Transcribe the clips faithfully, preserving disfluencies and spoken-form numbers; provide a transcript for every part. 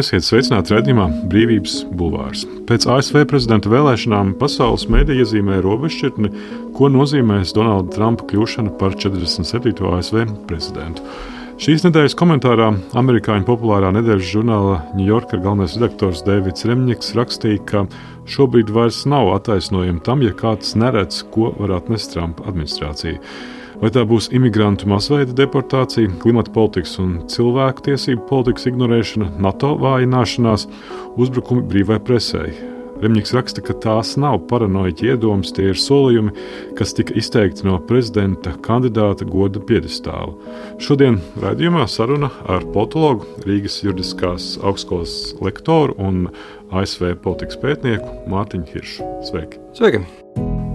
Esiet sveicināti raidījumā Brīvības bulvārs. Pēc A S V prezidenta vēlēšanām pasaules mēdīji iezīmē robežšķirtni, ko nozīmēs Donalda Trumpa kļūšana par četrdesmit septīto A S V prezidentu. Šīs nedēļas komentārā amerikāņu populārā nedēļas žurnāla New Yorker galvenais redaktors Deivids Remņiks rakstīja, ka šobrīd vairs nav attaisnojumi tam, ja kāds neredz, ko var atnest Trumpa administrācija. Vai tā būs imigrantu masveida deportācija, klimata politikas un cilvēku tiesību politikas ignorēšana, NATO vājināšanās, uzbrukumi brīvai presei. Remņiks raksta, ka tās nav paranoiķi iedomas, tie ir solījumi, kas tika izteikti no prezidenta kandidāta goda piedestāla. Šodien raidījumā saruna ar politologu, Rīgas juridiskās augstskolas lektoru un A S V politikas pētnieku Mārtiņu Hiršu. Sveiki! Sveiki!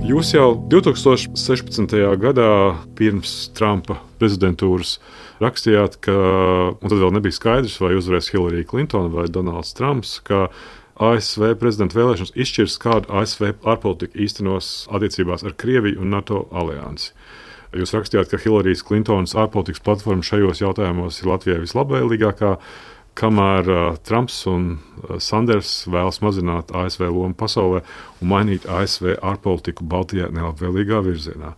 Jūs jau divtūkstoš sešpadsmitajā gadā pirms Trumpa prezidentūras rakstījāt, ka, un tad vēl nebija skaidrs, vai uzvarēs Hillary Clinton vai Donalds Trumps, ka A S V prezidenta vēlēšanas izšķirs, kādu A S V ārpolitiku īstenos attiecībās ar Krieviju un NATO aliansi. Jūs rakstījāt, ka Hillary Clintonas ārpolitikas platforma šajos jautājumos ir Latvijai vislabvēlīgākā, kamēr uh, Trumps un uh, Sanders vēlas mazināt A S V lomu pasaulē un mainīt A S V ārpolitiku Baltijā nelabvēlīgā virzienā.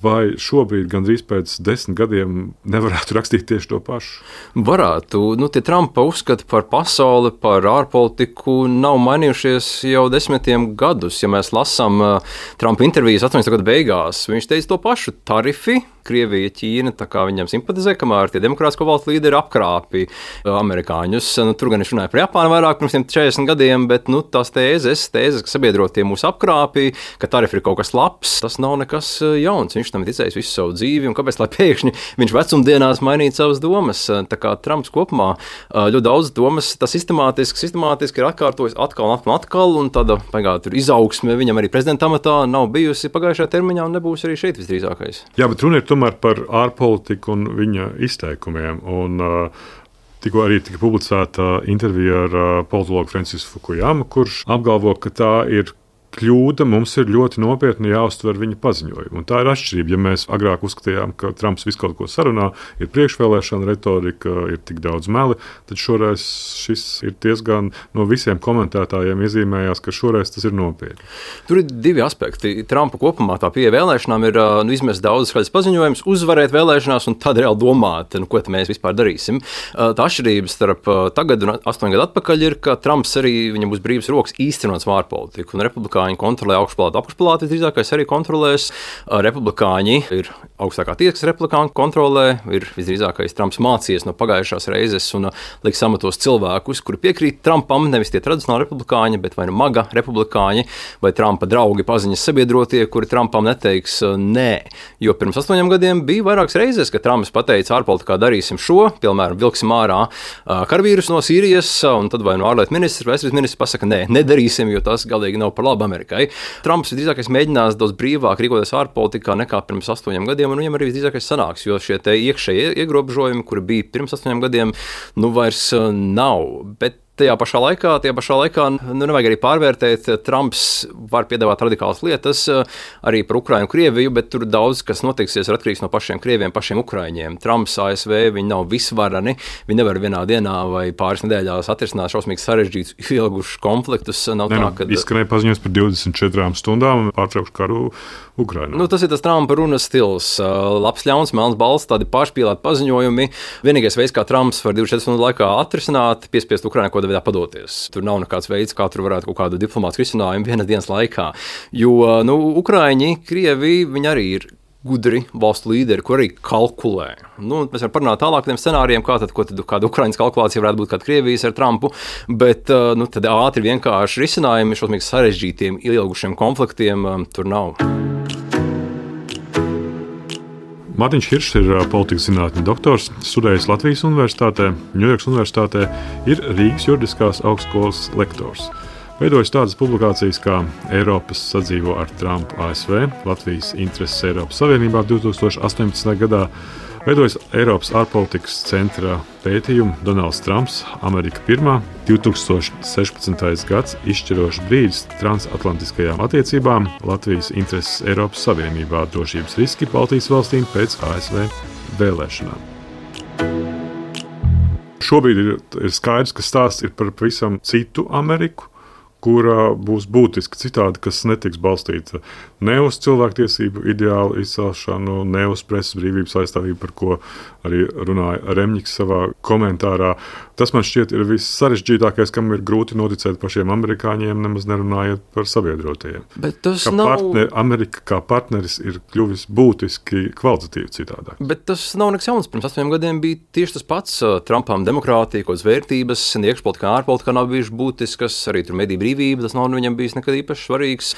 Vai šobrīd, gandrīz pēc desmit gadiem, nevarētu rakstīt tieši to pašu? Varētu. Nu, tie Trumpa uzskati par pasauli, par ārpolitiku nav mainījušies jau desmitiem gadus. Ja mēs lasām uh, Trumpa intervijas astoņdesmito gadu beigās, viņš teica to pašu - tarifi. Krievija, Ķīna, tā kā viņam simpatizē, kamēr tie demokrātisko valstu līderi apkrāpi amerikāņus. Nu, tur gan viņš runāja par Japānu vairāk pirms tiem četrdesmit gadiem, bet nu, tās tēzes, tēzes, ka sabiedrotie mūs apkrāpi, ka tarifi ir kaut kas labs, tas nav nekas jauns. Viņš tam ir ticējis visu savu dzīvi, un kāpēc lai pēkšņi viņš vecumdienās mainītu savas domas? Tā kā Trumps kopumā ļoti daudz domas, tas sistemātiski, sistemātiski ir atkārtojis atkal un atkal, atkal un tāda pagātā tur izaugsme viņam arī prezidenta amatā nav bijusi pagājušajā termiņā un nebūs arī šeit visdrīzākais. Jā, bet runa ir tomēr par ārpolitiku un viņa izteikumiem. Un, uh, tikko arī tika publicēta intervija ar uh, politologu Francisku Fukuyamu, kurš apgalvo, ka tā ir kļūda, mums ir ļoti nopietni jāuztver viņa paziņojumu. Un tā ir atšķirība. Ja mēs agrāk uzskatījām, ka Trumps visu kaut ko sarunā, ir priekšvēlēšana retorika, ir tik daudz meli, tad šoreiz šis ir diezgan no visiem komentētājiem iezīmējās, ka šoreiz tas ir nopietni. Tur ir divi aspekti. Trumpa kopumā tā pieeja vēlēšanām ir nu, izmest daudz skaidrs paziņojums, uzvarēt vēlēšanās un tad reāli domāt, nu, ko mēs vispār darīsim. Tā atšķirība starp tagad un astoņu gadu atpakaļ ir, ka Trumps arī viņam būs brīvs rokas īstenot ārpolitiku un republikāņi Viņi kontrolē augšpalātu, apakšpalātu, visdrīzākais arī kontrolēs. Republikāņi ir augstākā tiesa, kas republikāņi kontrolē, ir visdrīzākais Trumps mācījies no pagājušās reizes un liks amatos cilvēkus, kuri piekrīt Trumpam, nevis tie tradicionāli republikāņi, bet vai nu maga republikāņi, vai Trumpa draugi paziņas sabiedrotie, kuri Trumpam neteiks nē. Jo pirms astoņiem gadiem bija vairākas reizes, ka Trumps pateica ārpolitikā darīsim šo, piemēram, vilksim ārā karavīrus no Sīrijas, un tad vai no ārlietu ministrs vai aizsardzības ministrs pasaka nē, nedarīsim, jo tas galīgi nav par labu Amerikai. Trumps visdrīzākais mēģinās daudz brīvāk rīkoties ārpolitikā nekā pirms astoņiem gadiem, un viņam arī visdrīzākais sanāks, jo šie te iekšējie ierobežojumi, kuri bija pirms astoņiem gadiem, nu vairs nav. Bet Tajā pašā laikā, tajā pašā laikā nu, nevajag arī pārvērtēt. Trumps var piedāvāt radikālas lietas arī par Ukrainu un Krieviju, bet tur daudz, kas notiksies, ir atkarīgs no pašiem krieviem, pašiem ukraiņiem. Trumps, A S V, viņi nav visvarani, viņi nevar vienā dienā vai pāris nedēļās atrisināt šausmīgi sarežģītus, ilgušus konfliktus. Nav ne, tā, nu, kad... Izskanēja paziņojums par divdesmit četrām stundām pārtraukšu karu Ukrainā. Nu, tas ir tas Trumpa runas stils. Labs, ļauns, melns balss, tādi pašpīlēti paziņojumi. Vienīgais veids, kā Trumps var divdesmit četru stundu laikā atrisināt, piespiest Ukrainai ko veidā padoties. Tur nav nekāds veids, kā tur varētu kaut kādu diplomātisku risinājumu vienas dienas laikā. Jo, nu, Ukraiņi, Krievi, viņi arī ir gudri valstu līderi, kur arī kalkulē. Nu, mēs varam parunāt tālāk par tiem scenārijiem, kā tad, ko tad, kāda Ukrainas kalkulācija varētu būt, kāda Krievijas ar Trumpu, bet nu, tad ātri vienkārši risinājumi šausmīgi sarežģītiem, ilgušiem konfliktiem tur nav. Mārtiņš Hiršs ir politikas zinātņu doktors, studējis Latvijas Universitātē, Ņujorkas Universitātē, ir Rīgas juridiskās augstskolas lektors. Veidojis tādas publikācijas kā Eiropas sadzīvo ar Trumpu A S V, Latvijas intereses Eiropas Savienībā divtūkstoš astoņpadsmitajā gadā, veidojis Eiropas ārpolitikas centra pētījumu Donalds Trumps, Amerika pirmā, divtūkstoš sešpadsmitais gads izšķirošs brīdis transatlantiskajām attiecībām, Latvijas intereses Eiropas Savienībā, drošības riski Baltijas valstīm pēc A S V vēlēšanām. Šobrīd ir, ir skaidrs, ka stāsts ir par pavisam citu Ameriku, kura būs būtiski citādi, kas netiks balstīta ne uz cilvēktiesību ideālu izcelšanu, ne uz presas brīvības aizstāvību, par ko arī runāja Remņiks savā komentārā. Tas man šķiet ir viss sarežģītākais, kam ir grūti noticēt pašiem amerikāņiem, nemaz nerunājot par sabiedrotajiem. Bet tas kā nav... partner, Amerika kā partneris ir kļuvis būtiski kvalitatīvi citādāk. Bet tas nav nekas jauns. Pirms astoņiem gadiem bija tieši tas pats. Trumpam demokrātija, kādas vērtības, iekšpolitikā, ārpolitikā nav bijušas būtiskas, arī tur mediju brīvība, tas nav viņam bijis nekad īpaši svarīgs.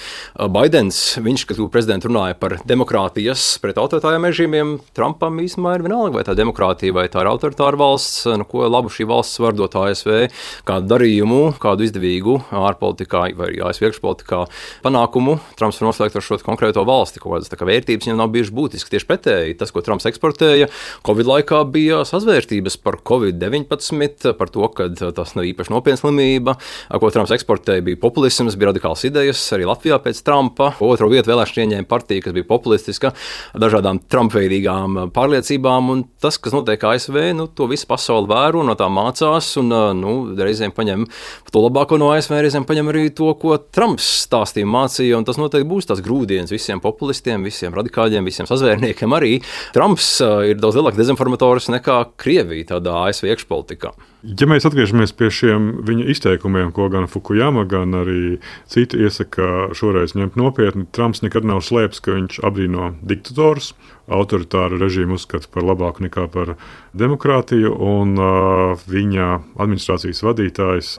Baidens, viņš, kad kļuva prezidents, runāja par demokrātijas pret autoritāriem režīmiem. Trumpam īstenībā ir vienalga, vai tā demokrātija, vai tā ir autoritāra valsts, nu, ko labu šī valsts var dot A S V, kādu darījumu, kādu izdevīgu ārpolitikā vai A S V iekšpolitikā panākumu. Trumps var noslēgt ar šo konkrēto valsti, kaut kādas tā kā vērtības viņam nav bijušas būtiski. Tieši pretēji, tas, ko Trumps eksportēja, Covid laikā bija sazvērstības par covid deviņpadsmit, par to, ka tas nav īpaši nopietna slimība, ko Trumps eksportēja, bija populisms, bija radikāls idejas, arī Latvijā pēc Trumpa. Otro vietu vēlēšanu ieņēma partija, kas bija populistiska, dažādām Trump-veidīgām pārliecībām, un tas, kas notiek A S V, nu, to visu pasauli vēro, no tā mācās, un nu, reizēm paņem to labāko no A S V, reizēm paņem arī to, ko Trumps stāstīja, mācīja, un tas noteikti būs tās grūdienas visiem populistiem, visiem radikāļiem, visiem sazvērniekiem arī. Trumps ir daudz lielāks dezinformators nekā Krievija tādā A S V iekšpolitikā. Ja mēs atgriežamies pie šiem viņa izteikumiem, ko gan Fukuyama, gan arī citi iesaka šoreiz ņemt nopietni, Trumps nekad nav slēpis, ka viņš apbrīno diktatorus, autoritāru režīmu uzskata par labāku nekā par demokrātiju, un uh, viņa administrācijas vadītājs,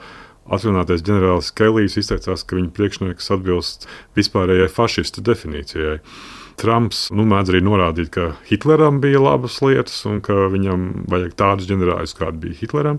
atrunātais ģenerālis Kelijs, izteicās, ka viņa priekšnieks atbilst vispārējai fašistu definīcijai. Trumps nu, mēdz arī norādīt, ka Hitleram bija labas lietas un ka viņam vajag tādus ģenerāļus, kādi bija Hitleram.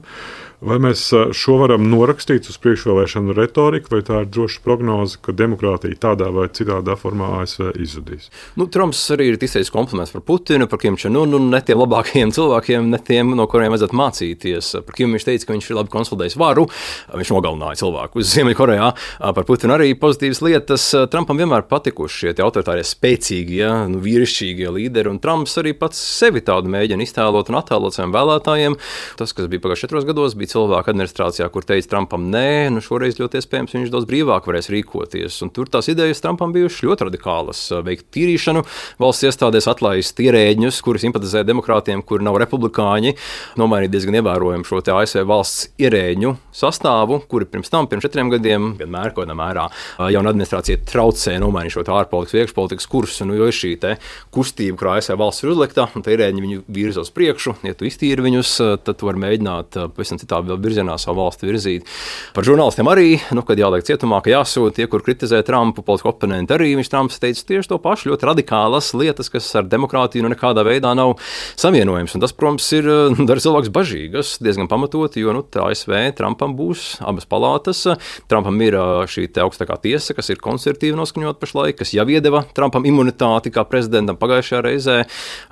Vai mēs šo varam norakstīt uz priekšvēlēšanu retoriku, vai tā ir droša prognoze, ka demokrātija tādā vai citādā formā A S V izzudīs? Nu, Trumps arī ir izteicis kompliments par Putinu, par Kim Čen-unu, ne tiem labākajiem cilvēkiem, ne tiem, no kuriem vajadzētu mācīties. Par Kim viņš teica, ka viņš ir labi konsolidējis varu, viņš nogalināja cilvēku uz Ziemeļkorejā. Par Putinu arī pozitīvas lietas. Trumpam vienmēr patikuši šie autoritārie spēcīgie, ja, nu, vīrišķīgie līderi, un Trumps arī pats sevi tādu mēģina iztēlot un attēlot saviem vēlētājiem. Tas, kas bija pagājušajos četros gados, bija cilvēku administrācijā, kur teica Trumpam nē, nu šoreiz ļoti iespējams viņš daudz brīvāk varēs rīkoties. Un tur tās idejas Trumpam bijušas ļoti radikālas. Veikt tīrīšanu, valsts iestādēs atlaist ierēģņus, kuri simpatizē demokrātiem, kuri nav republikāņi, nomainīt diezgan ievērojami šo te A S V valsts ierēģņu sastāvu, kuri pirms tam, pirms četriem gadiem, vienmēr kaut kādā mērā jauna administrācija traucē nomainīt šo ārpolitikas, iekšpolitikas kursu, nu, jo ir šī te kustība, kur A S V valsts ir uzlikta, un te ierēģņi viņu virza uz priekšu. Ja tu iztīri viņus, tad tu vari mēģināt pavisam citā virzienā savu valsti virzīt. Par žurnālistiem arī, nu, kad jāliek cietumā, ka jāsūta tie, kur kritizē Trumpu, politisko oponenti arī. Viņš Trumps teica tieši to pašu, ļoti radikālas lietas, kas ar demokrātiju nu nekādā veidā nav savienojams. Un tas, protams, ir dara cilvēks bažīgas, diezgan pamatoti, jo nu, A S V Trumpam būs abas palātas. Trumpam ir šī te augstākā tiesa, kas ir konservatīvi noskaņot pašlaik, kas jau iedeva Trumpam imunitāti kā prezidentam pagājušajā reizē,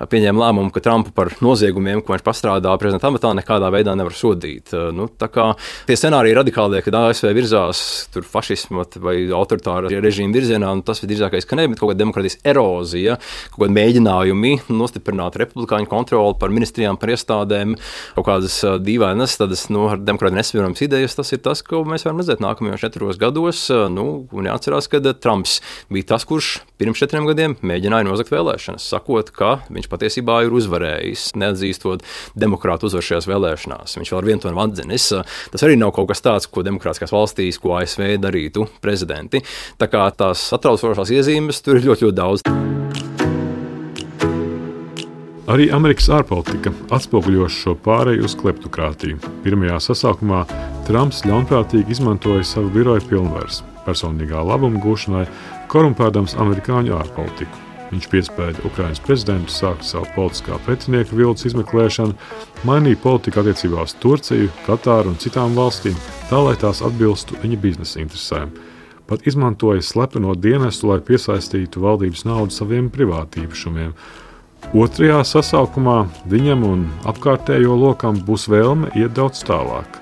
pieņēma lēmumu, ka Trumpu par noziegumiem, ko viņš pastrādā prezidenta amatā, nekādā veidā nevar sodīt. Nu, tā kā tie scenāriji radikālie, kad A S V virzās tur fašismu vai autoritāra režīma virzienā, nu, tas visdrīzākais, ka ne, bet kaut kāda demokrātijas erozija, kaut kāda mēģinājumi nostiprināt republikāņu kontroli par ministrijām, par iestādēm, kaut kādas dīvainas, tādas, nu, ar demokrātiju nesavienojamas idejas, tas ir tas, ko mēs varam redzēt nākamajos četros gados. Nu, un jāatcerās, ka Trumps bija tas, kurš pirms četriem gadiem mēģināja nozagt vēlēšanas, sakot, ka viņš patiesībā ir uzvarējis, neatzīstot demokrātu uzvaru šajās vēlēšanās. Viņš vēl ar vienu to nav atzinis. Tas arī nav kaut kas tāds, ko demokrātiskās valstīs, ko A S V darītu prezidenti. Tā kā tās satraucošās iezīmes tur ir ļoti, ļoti daudz. Arī Amerikas ārpolitika atspoguļoša šo pāreju uz kleptokrātiju. Pirmajā sasaukumā Trumps ļaunprātīgi izmantoja savu biroja pilnvaras personīgā labuma gūšanai, korumpēdams amerikāņu ārpolitiku. Viņš piespēja Ukrainas prezidentu sākt savu politiskā pretinieka viltus izmeklēšanu, mainīja politiku attiecībā uz Turciju, Katāru un citām valstīm, tā lai tās atbilstu viņa biznesa interesēm. Pat izmantoja slepeno dienestu, lai piesaistītu valdības naudu saviem privātīpašumiem. Otrajā sasaukumā viņam un apkārtējo lokam būs vēlme iet daudz tālāk.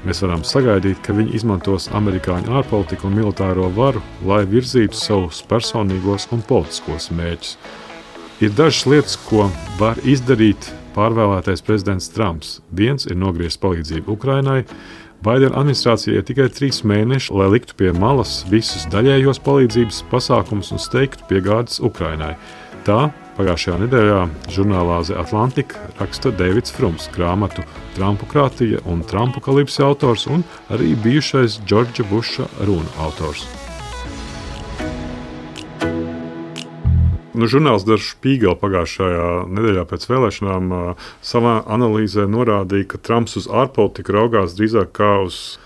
Mēs varam sagaidīt, ka viņi izmantos amerikāņu ārpolitiku un militāro varu, lai virzītu savus personīgos un politiskos mērķus. Ir dažas lietas, ko var izdarīt pārvēlētais prezidents Trumps. Viens ir nogriezis palīdzību Ukrainai. Baidena administrācijai ir tikai trīs mēneši, lai liktu pie malas visus daļējos palīdzības pasākumus un steigtu piegādes Ukrainai. Tā pagājušajā nedēļā žurnālā The Atlantic raksta Deivids Frums, grāmatu Trumpukrātija un Trumpukalipse autors un arī bijušais Džordža Buša runu autors. Nu, žurnāls Der Spiegel pagājušajā nedēļā pēc vēlēšanām savā analīzē norādīja, ka Trumps uz ārpolitiku raugās drīzāk kā uz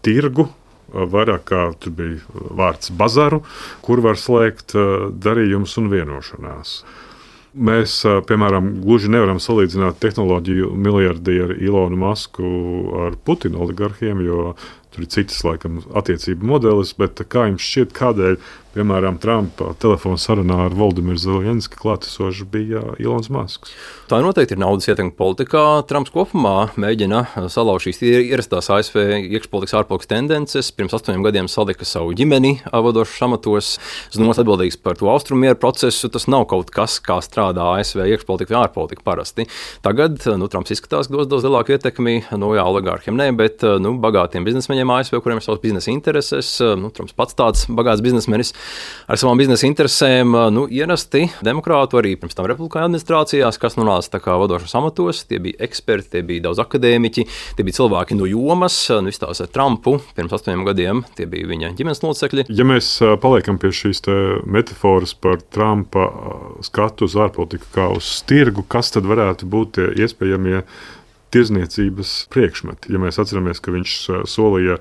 tirgu, vairāk kā tur bija vārds bazaru, kur var slēgt darījumus un vienošanās. Mēs, piemēram, gluži nevaram salīdzināt tehnoloģiju miljardieru Ilonu Masku ar Putina oligarhiem, jo tur ir citas, laikam, attiecību modelis, bet kā jums šķiet, kādēļ, piemēram, Trumpa telefona sarunā ar Voldimiru Zelenski klātesoši bija Ilons Masks? Tā noteikti ir naudas ietekme politikā. Trumps kopumā mēģina salauzt šīs ierastās A S V iekšpolitikas ārpolitikas tendences. Pirms astoņiem gadiem salika savu ģimeni vadošos amatos. Zinoms atbildīgs par to austrummieru procesu. Tas nav kaut kas, kā strādā A S V iekšpolitika vai ārpolitika parasti. Tagad nu, Trumps izskatās, ka dos daudz lielāku ietekmi, nu jā, oligārhiem ne, bet nu, bagātiem biznesmeņiem A S V, kuriem ir savas biznesa intereses. Nu, Trumps pats tāds bagāts biznesmenis ar savām biznesa interesēm, nu, ierasti demokrātu arī pirms tam republikāņu administrācijās, kas nonāca tā kā vadošos amatos. Tie bija eksperti, tie bija daudz akadēmiķi, tie bija cilvēki no jomas. Nu, izstāsta ar Trumpu pirms astoņiem gadiem, tie bija viņa ģimenes locekļi. Ja mēs paliekam pie šīs metafāras par Trumpa skatu uz ārpolitiku kā uz tirgu, kas tad varētu būt tie iespējamie tirzniecības priekšmeti? Ja mēs atceramies, ka viņš solīja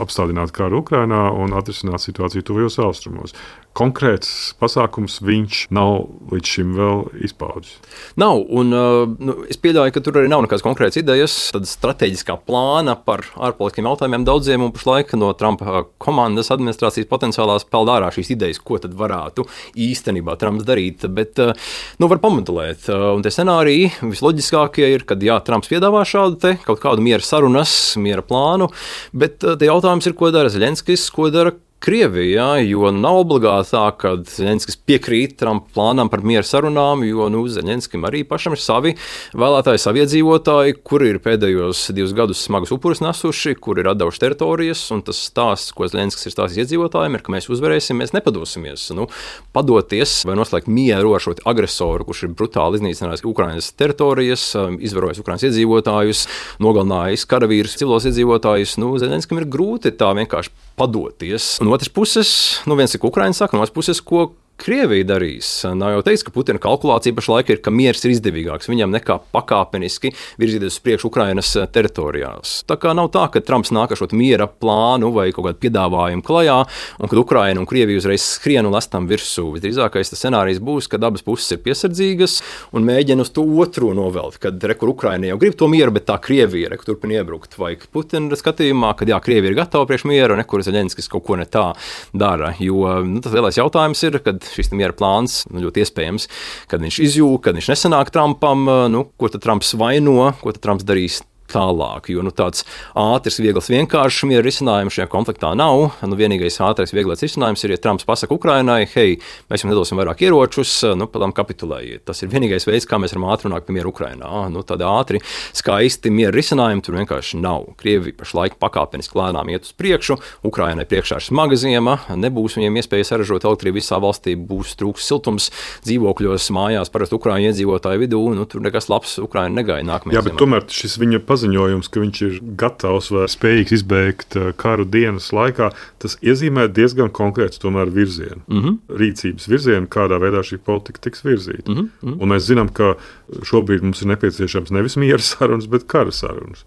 apstādināt karu Ukrainā un atrisināt situāciju tuvajos austrumos. Konkrēts pasākums viņš nav līdz šim vēl izpaudis. Nav, un nu, es pieļauju, ka tur arī nav nekādas konkrētas idejas, tad strateģiskā plāna par ārpolitiskiem jautājumiem daudziem, un pašlaik no Trumpa komandas administrācijas potenciālās peld ārā šīs idejas, ko tad varētu īstenībā Trumps darīt, bet nu, var pamatulēt. Un tie scenāriji visloģiskākie ir, kad jā, Trumps piedāvā šādu te kaut kādu miera sarunas, miera plānu, bet te jautājums ir, ko dara Zelenskis, ko dara Krievijā, jo nav obligāti tā, ka Zelenskis piekrīt Trumpa plānam par miera sarunām, jo nu, Zelenskim arī pašam ir savi vēlētāji, savi iedzīvotāji, kuri ir pēdējos divus gadus smagus upurus nesuši, kuri ir atdevuši teritorijas, un tas stāsts, ko Zelenskis ir stāstījis iedzīvotājiem, ir, ka mēs uzvarēsim, mēs nepadosimies. Nu, padoties vai noslēgt mieru ar šo agresoru, kurš ir brutāli iznīcinājis Ukrainas teritorijas, izvarojis Ukrainas iedzīvotājus, nogalinājis karavīrus, civilos iedzīvotājus, nu, Zelenskim ir grūti tā vienkārši padoties. Un otras puses, nu viens ir, ko Ukraina saka, no otras puses, ko Krievija darīs. Nav jau teiks, ka Putina kalkulācija pašlaik ir, ka miers ir izdevīgāks viņam nekā pakāpeniski virzīties uz priekšu Ukrainas teritorijās. Tā kā nav tā, ka Trumps nāk ar šo miera plānu vai kaut kādu piedāvājumu klajā, un kad Ukraina un Krievija uzreiz skrien un lestam virsū. Visdrīzākais tas scenārijs būs, kad abas puses ir piesardzīgas un mēģina uz to otru novelt, kad re, kur Ukraina jau grib to mieru, bet tā Krievija re, turpina iebrukt. Vai Putina skatījumā, kad jā, Krievija ir gatava priekš mieru, un nekur Zelenskis kaut ko ne tā dara. Jo nu, tas lielais jautājums ir, kad šis miera plāns nu, ļoti iespējams, kad viņš izjūg, kad viņš nesanāk Trumpam, nu, ko tad Trumps vaino, ko tad Trumps darīs tālāk, jo nu, tāds ātrs, viegls, vienkāršs miera risinājums šajā konfliktā nav. Nu, vienīgais ātrais, vieglais risinājums ir, ja Trumps pasaka Ukrainai, hei, mēs jums nedosim vairāk ieročus, nu, padām kapitulējiet. Tas ir vienīgais veids, kā mēs varam ātri runāt par mieru Ukrainā. Nu, tādi ātri, skaisti miera risinājumi tur vienkārši nav. Krievija pašlaik pakāpeniski lēnām iet uz priekšu, Ukrainai priekšā ir smaga ziema, nebūs viņiem iespēja saražot elektrību visā valstī, būs trūks siltums dzīvokļos, mājās, parasti Ukraiņu iedzīvotāju vidū, nu, tur nekas labs Ukraina negaida nākamajā Jā, bet ziemā. Tomēr šis viņa paziņojums, ka viņš ir gatavs vai spējīgs izbeigt karu dienas laikā, tas iezīmē diezgan konkrēts tomēr virzienu. Mm-hmm. Rīcības virzienu, kādā veidā šī politika tiks virzīta. Mm-hmm. Un mēs zinām, ka šobrīd mums ir nepieciešams nevis miera sarunas, bet kara sarunas.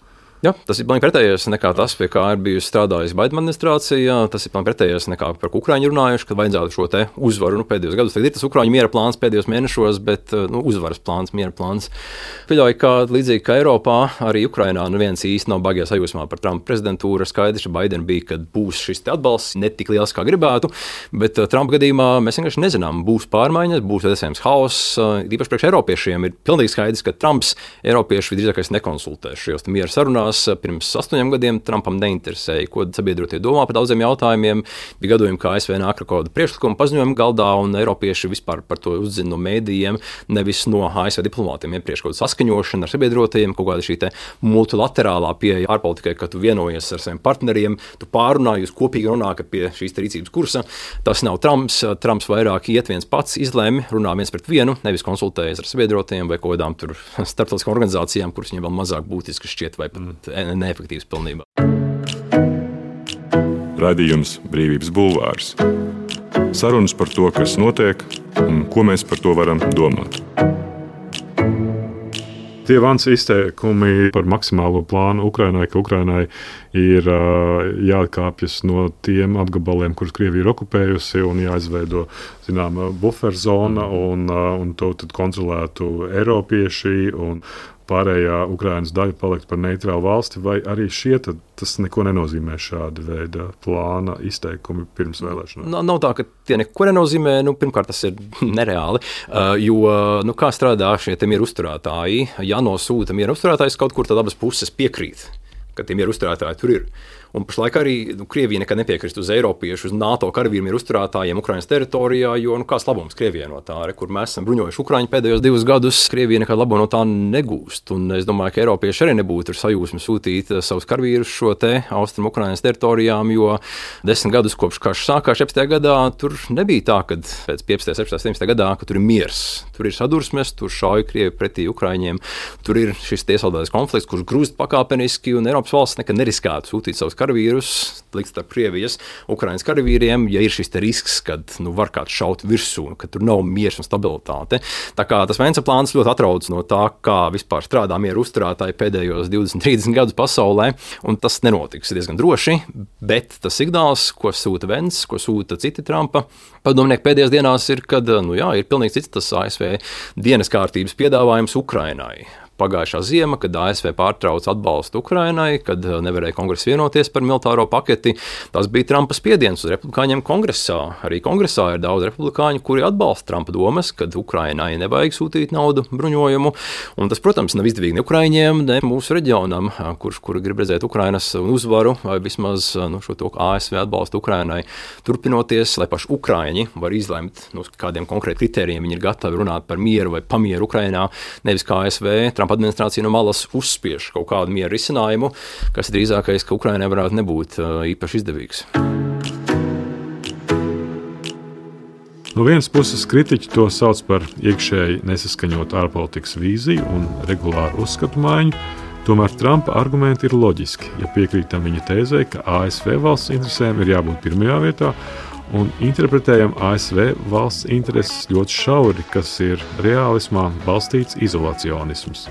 Jā, tas ir pilnīgi pretējais nekā tas, pie kā ir bijusi strādājusi Baidena administrācija. Tas ir pilnīgi pretējais nekā par ko Ukraiņi runājuši, kad vajadzētu šo te uzvaru nu, pēdējos gados. Tagad ir tas Ukraiņu miera plāns pēdējos mēnešos, bet nu, uzvaras plāns, miera plāns. Pieļauju, ka līdzīgi kā Eiropā, arī Ukrainā nu viens īsti nav baigajā sajūsmā par Trumpa prezidentūru. Skaidrs, ka Baidena bija, kad būs šis atbalsts ne tik liels, kā gribētu, bet Trumpa gadījumā mēs vienkārši nezinām, būs pārmaiņas, būs iespējams haoss. Īpaši priekš eiropiešiem ir pilnīgi skaidrs, ka Trumps eiropieši visdrīzākais nekonsultēs šajos miera sarunās. vēlēšanās pirms astoņiem gadiem Trumpam neinteresēja, ko sabiedrotie domā par daudziem jautājumiem. Bija gadījumi, ka A S V nāk ar kaut kādu priekšlikumu paziņojumu galdā, un eiropieši vispār par to uzzina no mēdījiem, nevis no A S V diplomātiem. Iepriekš kaut kāda saskaņošana ar sabiedrotajiem, kaut kāda šī te multilaterālā pieeja ārpolitikai, ka tu vienojies ar saviem partneriem, tu pārunā, jūs kopīgi runājat pie šīs rīcības kursa. Tas nav Trumps. Trumps vairāk iet viens pats, izlēma, runā viens pret vienu, nevis konsultējas ar sabiedrotajiem vai kaut kādām tur starptautiskām organizācijām, kuras viņiem vēl mazāk būtiski šķiet vai pat neefektīvas pilnībā. Raidījums Brīvības bulvārs. Sarunas par to, kas notiek un ko mēs par to varam domāt. Tie Vans izteikumi par maksimālo plānu Ukrainai, ka Ukrainai ir uh, jāatkāpjas no tiem apgabaliem, kurus Krievija ir okupējusi, un jāizveido zināma buferzona, un, uh, un to tad kontrolētu eiropieši, un pārējā Ukrainas daļa palikt par neitrālu valsti, vai arī šie tad, tas neko nenozīmē šāda veida plāna izteikumi pirms vēlēšanām? Nav, nav tā, ka tie neko nenozīmē. Nu, pirmkārt, tas ir nereāli, uh, jo nu, kā strādā šie mieru uzturētāji. Ja nosūta mieru uzturētājs kaut kur, tad abas puses piekrīt, ka tie mieru uzturētāji tur ir. Un pašlaik arī nu, Krievija nekad nepiekrist uz Eiropiešu, uz NATO karavīru mieru uzturētājiem Ukrainas teritorijā, jo nu, kāds labums Krievijai no tā, re, kur mēs esam bruņojuši Ukraiņu pēdējos divus gadus, Krievija nekad labumu no tā negūst. Un es domāju, ka Eiropieši arī nebūtu ar sajūsmu sūtīt savus karavīrus šo te austrumu Ukrainas teritorijām, jo desmit gadus kopš karš sākās septiņdesmitajā gadā, tur nebija tā, kad pēc piecdesmitajā, septiņdesmitajā, septiņdesmitajā gadā, ka tur ir miers. Tur ir sadursmes, tur šauj Krievi pretī Ukraiņiem, tur ir šis iesaldētais konflikts, kurš grūst pakāpeniski, un Eiropas valsts nekad neriskētu sūtīt savus karavīrus likt starp Krievijas, Ukrainas karavīriem, ja ir šis risks, kad nu, var kāds šaut virsū, ka tur nav miers un stabilitāte. Tā kā tas Vensa plāns ļoti atrauc no tā, kā vispār strādā mieru uzturētāji pēdējos divdesmit, trīsdesmit gadus pasaulē, un tas nenotiks diezgan droši, bet tas signāls, ko sūta Vens, ko sūta citi Trumpa padomnieki pēdējās dienās ir, kad nu, jā, ir pilnīgi cits tas A S V dienas kārtības piedāvājums Ukrainai. Pagājušā ziema, kad A S V pārtrauca atbalstu Ukrainai, kad nevarēja kongress vienoties par militāro paketi, tas bija Trumpa spiediens uz republikāņiem kongresā. Arī kongresā ir daudz republikāņu, kuri atbalsta Trumpa domas, kad Ukrainai nevajag sūtīt naudu, bruņojumu. Un tas, protams, nav izdevīgi ne Ukraiņiem, ne mūsu reģionam, kurš kur grib redzēt Ukrainas uzvaru, vai vismaz nu, šo to A S V atbalstu Ukrainai turpinoties, lai paši Ukraiņi var izlemt, nu, kādiem konkrētiem kritērijiem viņi ir gatavi runāt par mieru vai pamieru Ukrainā, nevis kā A S V. Trumpa administrācija no malas uzspiež kaut kādu mieru risinājumu, kas drīzākais, ka Ukrainai varētu nebūt īpaši izdevīgs. No vienas puses kritiķi to sauc par iekšēji nesaskaņotu ārpolitikas vīziju un regulāru uzskatu maiņu, tomēr Trumpa argumenti ir loģiski, ja piekrītam viņa tēzei, ka A S V valsts interesēm ir jābūt pirmajā vietā, un interpretējam A S V valsts intereses ļoti šauri, kas ir reālismā balstīts izolacionisms.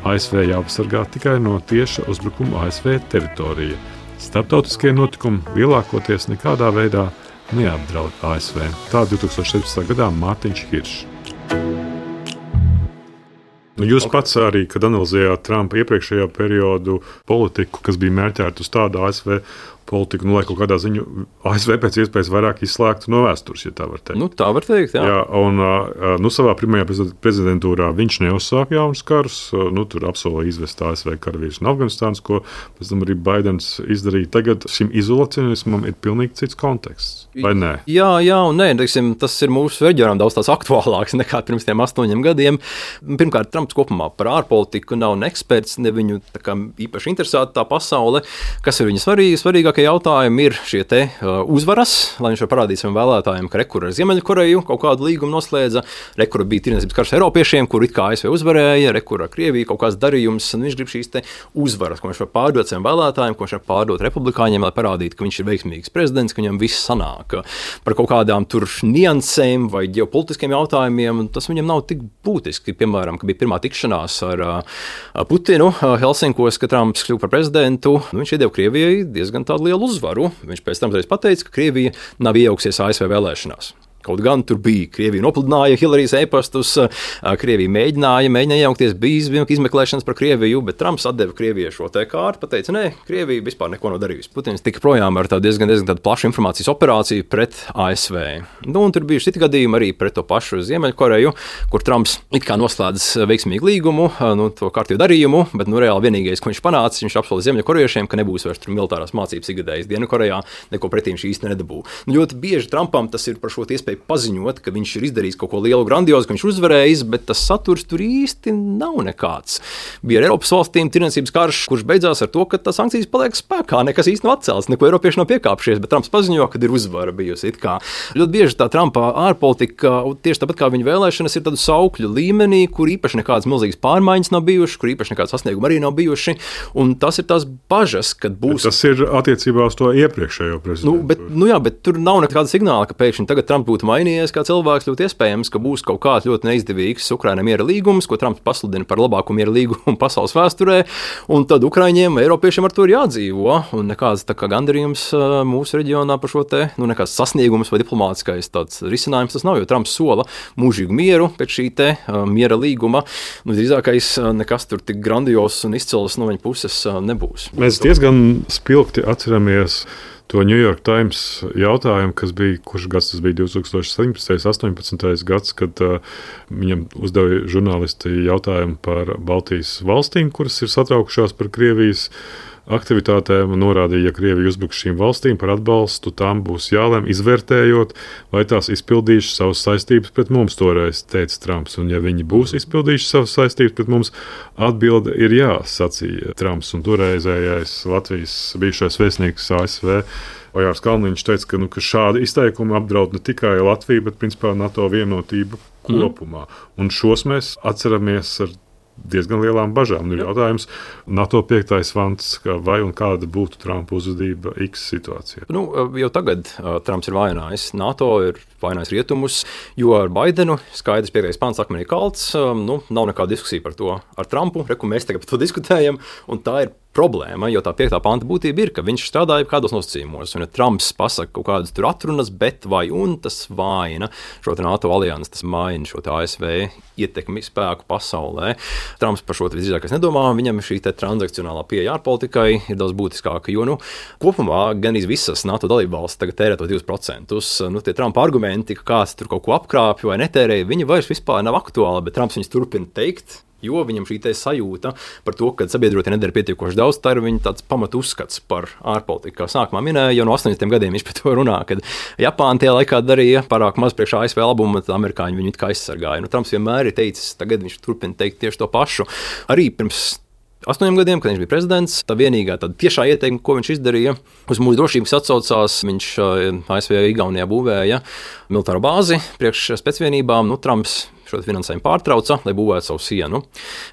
A S V jāpasargā tikai no tieša uzbrukuma A S V teritorija. Starptautiskie notikumi lielākoties nekādā veidā neapdraud A S V. Tā divtūkstoš septiņpadsmitajā gadā Mārtiņš Hiršs. Nu, jūs pats arī, kad analizējāt Trumpa iepriekšējā periodu politiku, kas bija mērķēta uz tādu A S V politiku, nu, lai kaut kādā ziņā A S V pēc iespējas vairāk izslēgtu no vēstures, ja tā var teikt. Nu, tā var teikt, jā. jā un, nu, savā pirmajā prezidentūrā viņš neuzsāka jaunus karus, nu, tur apsolīja izvest A S V karavīrus no Afganistānas, ko pēc tam arī Baidens izdarīja. Tagad šim izolacionismam ir pilnīgi cits konteksts, vai nē? Jā, jā un nē, teiksim, tas ir mūsu reģionām daudz tās aktuālāks nekā pirms tiem astoņiem gadiem. Pirmkārt, Trumps kopumā par ārpolitiku nav ne eksperts, ne viņu tā kā īpaši interesēta tā pasaule. Kas ir viņa svarīgi? Svarīgākie jautājumi ir šie te uh, uzvaras, lai viņš var parādīt saviem vēlētājiem, ka rekur ar Ziemeļkoreju kaut kādu līgumu noslēdza, rekur bija tirdzniecības karš Eiropiešiem, kur it kā A S V uzvarēja, rekur ar Krieviju kaut kāds darījums, un viņš grib šīs te uzvaras, ko viņš var pārdot saviem vēlētājiem, ko viņš var pārdot republikāņiem, lai parādītu, ka viņš ir veiksmīgs prezidents, ka viņam viss sanāk. Par kaut kādām tur niansēm vai ģeopolitiskiem jautājumiem, tas viņam nav tik būtiski. Piemēram, ka bija pirmā tikšanās ar uh, Putinu uh, Helsinkos, ka Trumps kļuva par prezidentu, nu, viņš iedeva Krievijai diezgan tādu lielu uzvaru. Viņš pēc tam pateica, ka Krievija nav iejauksies A S V vēlēšanās. Kaut gan tur bija Krievija nopludināja Hillarijas e-pastus, Krievija mēģināja, mēģināja iejaukties, bija izmeklēšanas par Krieviju, bet Trumps atdeva Krievijai šo te kārtu, pateica, nē, Krievija vispār neko nav darījusi. Putins tika projām ar tādu diezgan, diezgan tādu plašu informācijas operāciju pret A S V. Nu, un tur bija citi gadījumi arī pret to pašu Ziemeļkoreju, kur Trumps it kā noslēdz veiksmīgu līgumu, nu, to kārtību darījumu, bet nu, reāli vienīgais, ko viņš panāca, viņš apsolīja Ziemeļkorejiešiem, ka nebūs vairs tur militārās mācības ikgadējas Dienvidkorejā, neko pretī viņš īsti nedabū. Nu, ļoti bieži Trumpam tas ir par šo iespēju paziņot, ka viņš ir izdarījis kaut ko lielu, grandiozu, ka viņš uzvarējis, bet tas saturs tur īsti nav nekāds. Bija ar Eiropas valstīm tirdzniecības karš, kurš beidzās ar to, ka tas sankcijas paliek spēkā, nekas īsti nav atcelts, neko Eiropieši nav piekāpšies, bet Trumps paziņo, ka ir uzvara bijusi. It kā ļoti bieži tā Trumpa ārpolitika, tieši tāpat kā viņa vēlēšanas, ir tādu saukļu līmenī, kur īpaši nekādas milzīgas pārmaiņas nav bijušas, kur īpaši nekādas sasniegumi arī nav bijuši, un tas ir tās bažas, kad būs. Bet tas ir attiecībā uz to iepriekšējo prezidentu. Nu, bet, nu jā, bet tur nav nekāda signāla, ka pēkšņi tagad Trumps būtu mainījies kā cilvēks, ļoti iespējams, ka būs kaut kāds ļoti neizdevīgs Ukrainai miera līgums, ko Trumps pasludina par labāko miera līgumu pasaules vēsturē, un tad Ukraiņiem, Eiropiešiem ar to ir jādzīvo, un nekāds tā kā gandarījums mūsu reģionā par šo te, nu nekāds sasniegums vai diplomātiskais tāds risinājums tas nav, jo Trumps sola mūžīgu mieru pēc šī te miera līguma, nu drīzākais nekas tur tik grandios un izcils no viņa puses nebūs. Mēs diezgan spilgti atceramies to New York Times jautājumu, kas bija, kurš gads tas bija divtūkstoš septiņpadsmitais, astoņpadsmitais gads, kad uh, viņam uzdeva žurnālisti jautājumu par Baltijas valstīm, kuras ir satraukušās par Krievijas aktivitātēm, un norādīja, ja Krievija uzbruks šīm valstīm par atbalstu, tām būs jālem, izvērtējot, vai tās izpildījušas savas saistības pret mums, toreiz teica Trumps. Un ja viņi būs izpildījuši savas saistības pret mums, atbilde ir jā, sacīja Trumps. Un toreizējais Latvijas bijušais vēstnieks A S V Ojārs Kalniņš teica, ka, nu, ka šādi izteikumi apdraud ne tikai Latviju, bet principā NATO vienotību kopumā. Mm. Un šos mēs atceramies ar diezgan lielām bažām. Nu, jautājums, NATO piektais vants, vai un kāda būtu Trumpa uzvedība X situācijā? Nu, jau tagad uh, Trumps ir vainājis NATO, ir vainājis rietumus, jo ar Baidenu skaidrs piektais pants akmenī kalts, um, nu, nav nekāda diskusija par to ar Trumpu, reku mēs tagad par to diskutējam, un tā ir problēma, jo tā piektā panta būtība ir, ka viņš strādāja kādos nosacījumos, un ja Trumps pasaka kaut kādas tur atrunas, bet vai un tas vaina šo NATO aliansi, tas maina šo A S V ietekmi spēku pasaulē. Trumps par šo visdrīzākais nedomā, viņam šī te transakcionālā pieeja ārpolitikai ir daudz būtiskāka, jo, nu, kopumā gan visas NATO dalībvalstis tagad tērē to divus procentus. Nu, tie Trumpa argumenti, ka kāds tur kaut ko apkrāpj vai netērēja, viņi vairs vispār nav aktuāli, bet Trumps viņus turpina teikt. Jo viņam šī sajūta par to, ka sabiedrotie nedara pietiekoši daudz, tā ir viņa tāds pamatu uzskats par ārpolitiku. Kā sākumā minēja, jau no astoņdesmitiem gadiem viņš par to runā, kad Japāna tajā laikā darīja pārāk maz priekš A S V labumu, tad amerikāņi viņu it kā aizsargāja. Nu, Trumps vienmēr ir teicis, tagad viņš turpina teikt tieši to pašu. Arī pirms astoņiem gadiem, kad viņš bija prezidents, tā vienīgā tāda tiešā ieteikuma, ko viņš izdarīja, uz mūsu drošības atsaucās, viņš A S V Igaunijā būvēja militāro bāzi priekš specvienībām. Nu, Trumps šo finansējumu pārtrauca, lai būvētu savu sienu.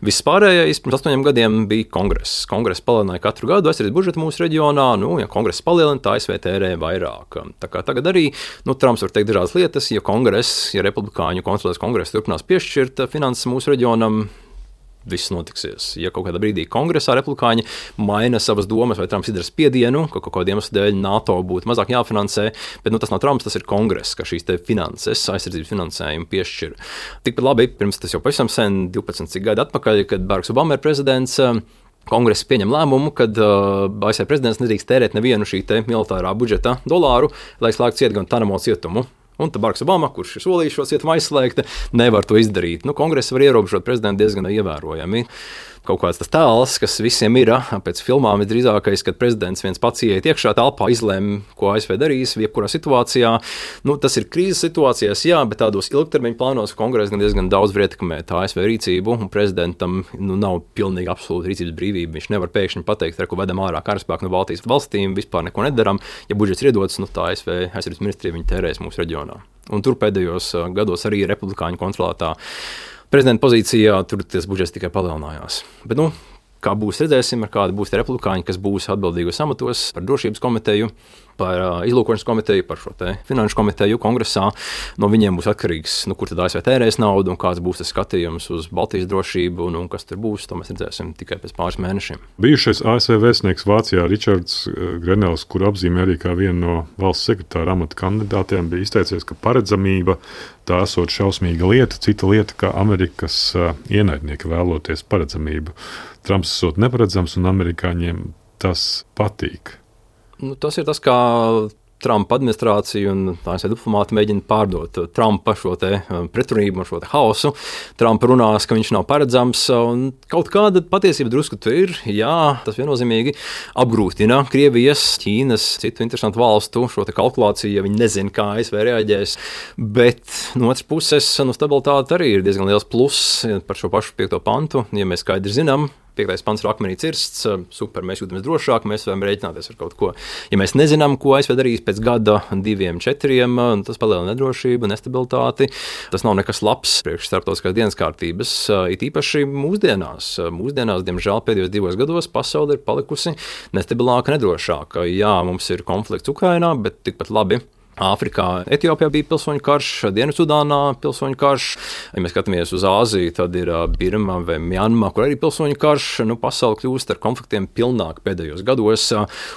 Viss pārējais pirms astoņiem gadiem bija kongress. Kongress palielināja katru gadu aizsardzības budžetu mūsu reģionā. Nu, ja kongress palielina, tā A S V tērē vairāk. Tā kā tagad arī, nu, Trumps var teikt dažādas lietas, ja kongress, ja republikāņu kontrolēs kongress turpinās piešķirt finanses mūsu reģionam, viss notiksies. Ja kaut kādā brīdī kongresā republikāņi maina savas domas, vai Trumps izdara spiedienu, ka kaut kādiem iemeslu dēļ NATO būtu mazāk jāfinansē, bet nu, tas nav Trumps, tas ir kongress, ka šīs te finanses, aizsardzības finansējumu piešķir. Tikpat labi, pirms tas jau pavisam sen, divpadsmit cik gadi atpakaļ, kad Baraks Obama ir prezidents, Kongress pieņem lēmumu, ka uh, A S V prezidents nedrīkst tērēt nevienu šī te militārā budžeta dolāru, lai slēgtu ciet gan Tanamo cietumu. Un tad Baraks Obama, kurš ir solījis šo cietumu aizslēgt, nevar to izdarīt. Nu, kongress var ierobežot prezidentu diezgan ievērojami. Kaut kāds tas tēls, kas visiem ir pēc filmām, ir drīzākais, kad prezidents viens pats ieiet iekšā telpā, izlēma, ko A S V darīs, jebkurā situācijā. Nu, tas ir krīzes situācijās, jā, bet tādos ilgtermiņa plānos kongress gan diezgan daudz var ietekmēt A S V rīcību, un prezidentam nu, nav pilnīgi absolūta rīcības brīvība. Viņš nevar pēkšņi pateikt, ka vedam ārā karaspēku no Baltijas valstīm, vispār neko nedaram. Ja budžets ir iedots, nu, tā A S V aizsardzības ministrija viņi tērēs mūsu reģionā. Un tur pēdējos gados arī republikāņu kontrolētā prezidenta pozīcijā tur tas budžets tikai palielinājās. Bet, nu, kā būs, redzēsim, ar kādi būs tie republikāņi, kas būs atbildīgos amatos par drošības komiteju. par izlūkošanas komiteju, par šo te finanšu komiteju kongresā. No viņiem būs atkarīgs, nu, kur tad A S V tērēs naudu un kāds būs tas skatījums uz Baltijas drošību un, un kas tur būs. To mēs redzēsim tikai pēc pāris mēnešiem. Bijušais A S V vēstnieks Vācijā Ričards Grenels, kur apzīmē arī kā vienu no valsts sekretāra amata kandidātiem, bija izteicies, ka paredzamība tā esot šausmīga lieta, cita lieta, kā Amerikas ienaidnieki vēloties paredzamību. Trumps esot neparedzams un amerikāņiem tas patīk. Nu, tas ir tas, kā Trumpa administrācija un A S V diplomāti mēģina pārdot Trumpa šo te pretrunību un šo te haosu. Trumpa runās, ka viņš nav paredzams, un kaut kāda patiesība drusku tur ir. Jā, tas viennozīmīgi apgrūtina Krievijas, Ķīnas, citu interesantu valstu šo te kalkulāciju, ja viņi nezina, kā A S V reaģēs. Bet no otras puses, nu, stabilitāte arī ir diezgan liels pluss par šo pašu piekto pantu, ja mēs skaidri zinām. Piektais pants ir akmenī cirsts, super, mēs jūtamies drošāk, mēs varam rēķināties ar kaut ko. Ja mēs nezinām, ko A S V darīs pēc gada, diviem, četriem, tas palielina nedrošību, nestabilitāti. Tas nav nekas labs priekš starptautiskās dienas kārtības, it īpaši mūsdienās. Mūsdienās, diemžēl, pēdējos divos gados pasaule ir palikusi nestabilāka, nedrošāka. Jā, mums ir konflikts Ukrainā, bet tikpat labi. Āfrikā, Etiopijā bija pilsoņu karš, Dienvidsudānā pilsoņu karš. Ja mēs skatāmies uz Āziju, tad ir Birma vai Mjanma, kur arī pilsoņu karš. Nu, pasaule kļūst ar konfliktiem pilnāk pēdējos gados,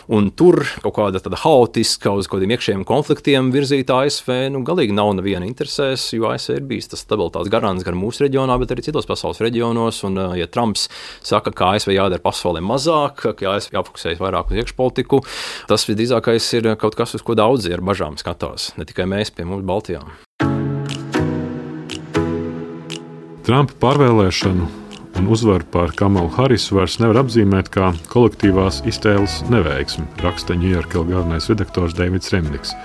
un tur kaut kāda tāda haotiska uz kādiem iekšējiem konfliktiem virzīta A S V, nu, galīgi nav neviena interesēs, jo A S V ir bijis tas stabilitātes garants gan mūsu reģionā, bet arī citos pasaules reģionos, un ja Trumps saka, ka A S V jādara pasaulē mazāk, ka A S V jāfokusējas vairāk uz iekšpolitiku, tas visdrīzākais ir kaut kas, uz ko daudzi ar bažām skatās. Ne tikai mēs pie mums Baltijā. Trumpa pārvēlēšanu un uzvaru pār Kamalu Harisu vairs nevar apzīmēt kā kolektīvās iztēles neveiksmi, raksta New York galvenais redaktors Deivids Remniks.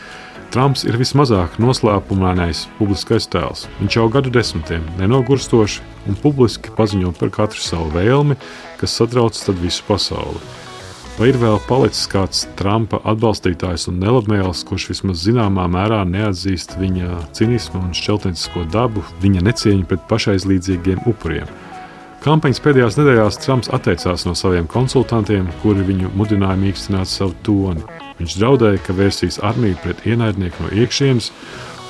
Trumps ir vismazāk noslēpumainais publiskais tēls. Viņš jau gadu desmitiem nenogurstoši un publiski paziņo par katru savu vēlmi, kas satrauc tad visu pasauli. Vai ir vēl palicis kāds Trumpa atbalstītājs un nelabmēls, kurš vismaz zināmā mērā neatzīst viņa cinismu un šķeltniecisko dabu, viņa necieņu pret pašaizlīdzīgiem upuriem? Kampaņas pēdējās nedēļās Trumps atteicās no saviem konsultantiem, kuri viņu mudināja mīkstināt savu toni. Viņš draudēja, ka vērsīs armiju pret ienaidnieku no iekšienes,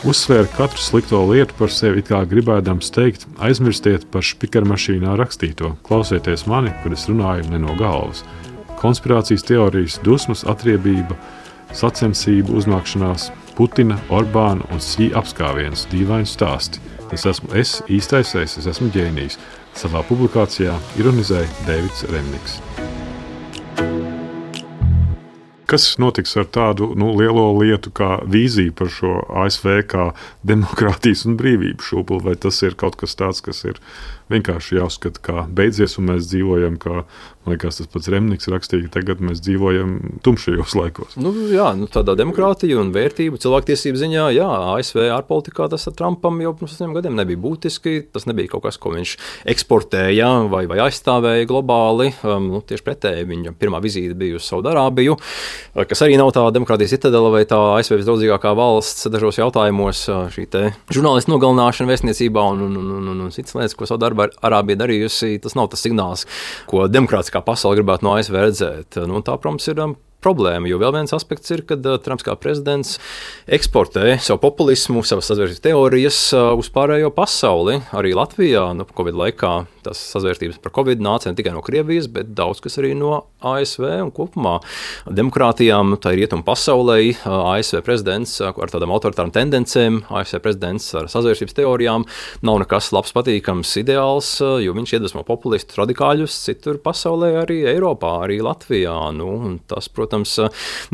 uzsvēra katru slikto lietu par sevi, it kā gribēdams teikt, aizmirstiet par špikarmašīnā rakstīto, klausieties mani, kad es runāju ne no galvas. Konspirācijas teorijas, dusmas, atriebība, sacensību uzmākšanās, Putina, Orbāna un Sī apskāviens, dīvaini stāsti. Es esmu es, īstais es, es esmu ģēnijs. Savā publikācijā ironizēja Deivids Remniks. Kas notiks ar tādu nu, lielo lietu kā vīziju par šo A S V kā demokrātijas un brīvību šūpuli? Vai tas ir kaut kas tāds, kas ir vienkārši jāuzskata, kā beidzies, un mēs dzīvojam, kā, man liekas, tas pats Remniks rakstīja, tagad mēs dzīvojam tumšajos laikos? Nu, jā, nu, tādā demokrātija un vērtību cilvēktiesību ziņā, jā, A S V ārpolitikā tas ar Trumpam jau pirms astoņiem gadiem nebija būtiski. Tas nebija kaut kas, ko viņš eksportēja vai, vai aizstāvēja globāli. Um, nu, tieši pretēji viņa pirmā vizīte bija uz Saudārābiju, kas arī nav tā demokrātijas citadela vai tā A S V visdraudzīgākā valsts dažos jautājumos. Šī te žurnālistu nogalināšana vēstniecībā un, un, un, un, un citas lietas, ko Saudārābija darījusi, tas nav tas signāls, ko demokrātiskā pasaule gribētu no A S V redzēt. Nu, tā, protams, ir um, problēma, jo vēl viens aspekts ir, kad uh, Trumps kā prezidents eksportē savu populismu, savas sazvērstības teorijas uh, uz pārējo pasauli. Arī Latvijā, nu, Covid laikā tas sazvērstības par Covid nāca ne tikai no Krievijas, bet daudz kas arī no A S V un kopumā demokrātijām, tā ir rietumu pasaulē. A S V prezidents ar tādām autoritārām tendencēm, A S V prezidents ar sazvērstības teorijām nav nekas labs, patīkams, ideāls, jo viņš iedvesmo populistus, radikāļus citur pasaulē, arī Eiropā, arī Latvijā. Nu, un tas, protams,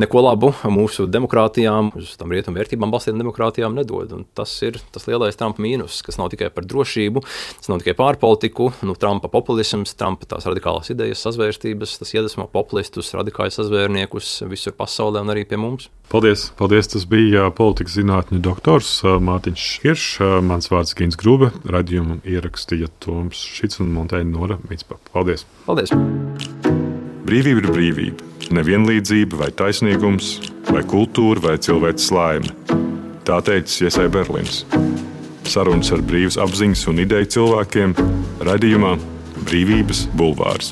neko labu mūsu demokrātijām, uz tam rietumu vērtībām balstītām demokrātijām nedod. Un tas ir tas lielais Trumpa mīnus, kas nav tikai par drošību, tas nav tikai pārpolitiku. Nu, Trumpa populisms, Trumpa tās radikālās idejas, sazvērstības, tas iedvesmo populistus, radikāļus sazvērniekus visur pasaulē un arī pie mums. Paldies, paldies. Tas bija politikas zinātņu doktors Mārtiņš Kiršs, mans vārds Gins Grube, raidījumu ierakstīja Toms Šits un montēja Nora Mitspapa. Paldies. Paldies. Brīvība ir brīvība. Nevienlīdzība vai taisnīgums, vai kultūra vai cilvēks laime. Tā teica Iesai Berlins. Sarunas ar brīvas apziņas un ideju cilvēkiem raidījumā Brīvības bulvārs.